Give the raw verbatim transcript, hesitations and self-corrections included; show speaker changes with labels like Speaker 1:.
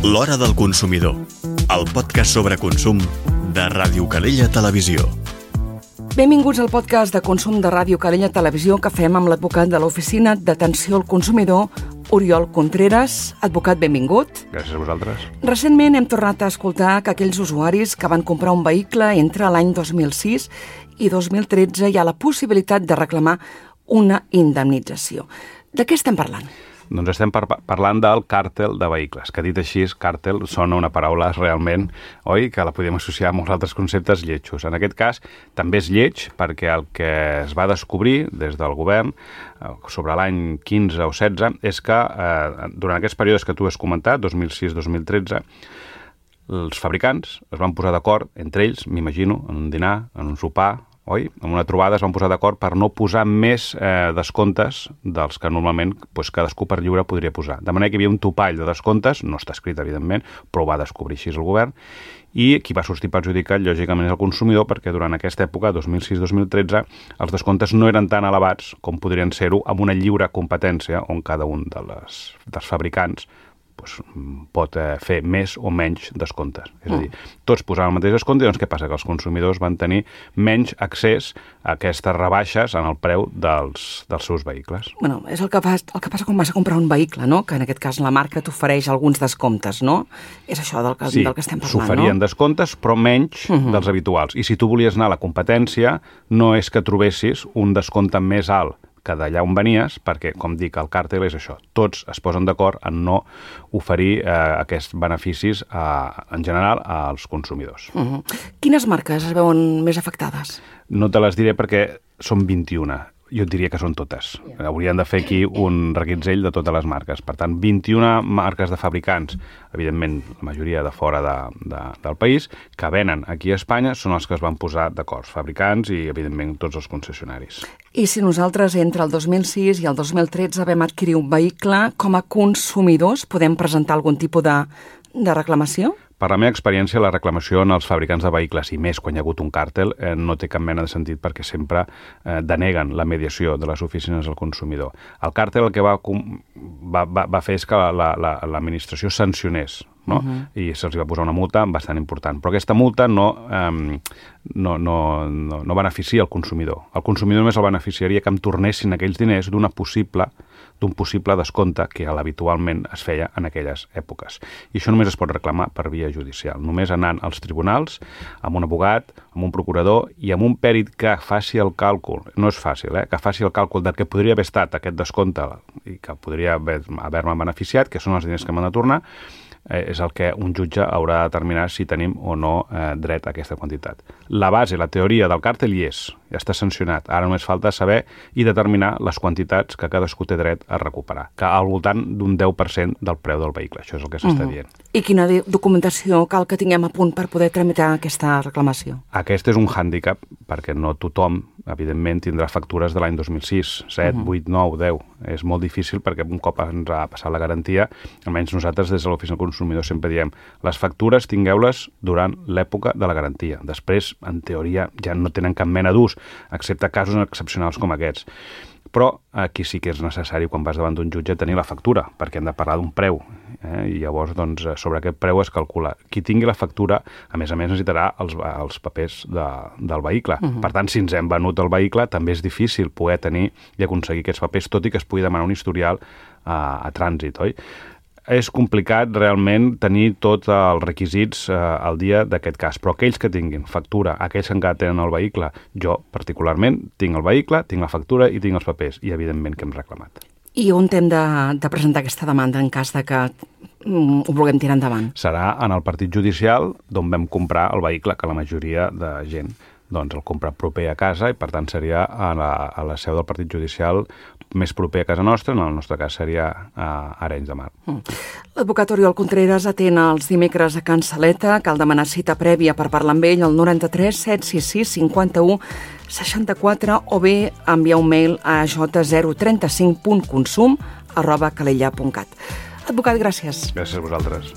Speaker 1: L'Hora del Consumidor, el podcast sobre consum de Ràdio Calella Televisió.
Speaker 2: Benvinguts al podcast de consum de Ràdio Calella Televisió que fem amb l'advocat de l'Oficina d'Atenció al Consumidor, Oriol Contreras. Advocat, benvingut.
Speaker 3: Gràcies a vosaltres.
Speaker 2: Recentment hem tornat a escoltar que aquells usuaris que van comprar un vehicle entre l'any dos mil sis i dos mil tretze hi ha la possibilitat de reclamar una indemnització. De què estem parlant?
Speaker 3: Doncs estem par parlant del càrtel de vehicles, que dit així, càrtel sona una paraula realment, oi, que la podem associar a molts altres conceptes lletjos. En aquest cas, també és lleig perquè el que es va descobrir des del govern sobre l'any quinze o setze és que eh, durant aquests períodes que tu has comentat, dos mil sis dos mil tretze, els fabricants es van posar d'acord entre ells, m'imagino, en un dinar, en un sopar, oi? En una trobada es van posar d'acord per no posar més eh, descomptes dels que normalment doncs, cadascú per lliure podria posar. De manera que hi havia un topall de descomptes, no està escrit, evidentment, però ho va descobrir així el govern, i qui va sortir perjudicat, lògicament, és el consumidor, perquè durant aquesta època, dos mil sis dos mil tretze, els descomptes no eren tan elevats com podrien ser-ho amb una lliure competència on cada un de les, dels fabricants doncs, pot eh, fer més o menys descomptes. És a dir, tots posaven el mateix descompte, doncs què passa? Que els consumidors van tenir menys accés a aquestes rebaixes en el preu dels, dels seus vehicles.
Speaker 2: Bueno, és el que, fa, el que passa quan vas a comprar un vehicle, no? Que en aquest cas la marca t'ofereix alguns descomptes, no? És això del que,
Speaker 3: sí,
Speaker 2: del que estem parlant, no?
Speaker 3: Sí, s'oferien descomptes, però menys uh -huh. dels habituals. I si tu volies anar a la competència, no és que trobessis un descompte més alt que d'allà on venies, perquè, com dic, el càrtel és això. Tots es posen d'acord en no oferir eh, aquests beneficis, a, en general, als consumidors.
Speaker 2: Uh -huh. Quines marques es veuen més afectades?
Speaker 3: No te les diré perquè són vint-i-una. Jo et diria que són totes. Yeah. Haurien de fer aquí un reguitzell de totes les marques. Per tant, vint-i-una marques de fabricants, evidentment, la majoria de fora de, de, del país, que venen aquí a Espanya, són els que es van posar d'acord, fabricants i, evidentment, tots els concessionaris.
Speaker 2: I si nosaltres entre el dos mil sis i el dos mil tretze vam adquirir un vehicle, com a consumidors podem presentar algun tipus de, de reclamació?
Speaker 3: Per la meva experiència, la reclamació en els fabricants de vehicles, i més quan hi ha hagut un càrtel, eh, no té cap mena de sentit perquè sempre eh, deneguen la mediació de les oficines al consumidor. El càrtel el que va, va, va, va fer és que l'administració la, la, sancionés, no? Uh-huh. I se'ls va posar una multa bastant important. Però aquesta multa no, eh, no, no, no, no beneficia el consumidor. El consumidor només el beneficiaria que em tornessin aquells diners d'una possible d'un possible descompte que habitualment es feia en aquelles èpoques. I això només es pot reclamar per via judicial, només anant als tribunals, amb un abogat, amb un procurador i amb un pèrit que faci el càlcul, no és fàcil, eh? que faci el càlcul del que podria haver estat aquest descompte i que podria haver-me haver beneficiat, que són els diners que m'han de tornar, eh, és el que un jutge haurà de determinar si tenim o no eh, dret a aquesta quantitat. La base, la teoria del càrtel hi és, ja està sancionat. Ara només falta saber i determinar les quantitats que cadascú té dret a recuperar, que al voltant d'un deu per cent del preu del vehicle. Això és el que s'està uh-huh. dient.
Speaker 2: I quina documentació cal que tinguem a punt per poder tramitar aquesta reclamació?
Speaker 3: Aquest és un hàndicap, perquè no tothom, evidentment, tindrà factures de l'any dos mil sis, set, uh-huh. vuit, nou, deu. És molt difícil perquè un cop ens ha passat la garantia, almenys nosaltres des de l'Oficina del Consumidor sempre diem les factures tingueu-les durant l'època de la garantia. Després, en teoria, ja no tenen cap mena d'ús, excepte casos excepcionals com aquests. Però aquí sí que és necessari, quan vas davant d'un jutge, tenir la factura, perquè hem de parlar d'un preu. Eh? I llavors, doncs, sobre aquest preu es calcula. Qui tingui la factura, a més a més, necessitarà els, els papers de, del vehicle. Uh-huh. Per tant, si ens hem venut el vehicle, també és difícil poder tenir i aconseguir aquests papers, tot i que es pugui demanar un historial a, a trànsit, oi? És complicat realment tenir tots els requisits eh, al dia d'aquest cas, però aquells que tinguin factura, aquells que encara tenen el vehicle, jo particularment tinc el vehicle, tinc la factura i tinc els papers, i evidentment que hem reclamat.
Speaker 2: I on hem de, de presentar aquesta demanda en cas de que mm, ho vulguem tirar endavant?
Speaker 3: Serà en el partit judicial d'on vam comprar el vehicle, que la majoria de gent doncs el compra proper a casa i per tant seria a la, a la seu del partit judicial més proper a casa nostra, en el nostre cas seria a Arenys de Mar. Mm.
Speaker 2: L'advocat Oriol Contreras atén els dimecres a Can Saleta. Cal demanar cita prèvia per parlar amb ell al noranta-tres set sis sis cinquanta-u seixanta-quatre o bé enviar un mail a j zero trenta-cinc punt consum arroba calella punt cat. Advocat, gràcies.
Speaker 3: Gràcies a vosaltres.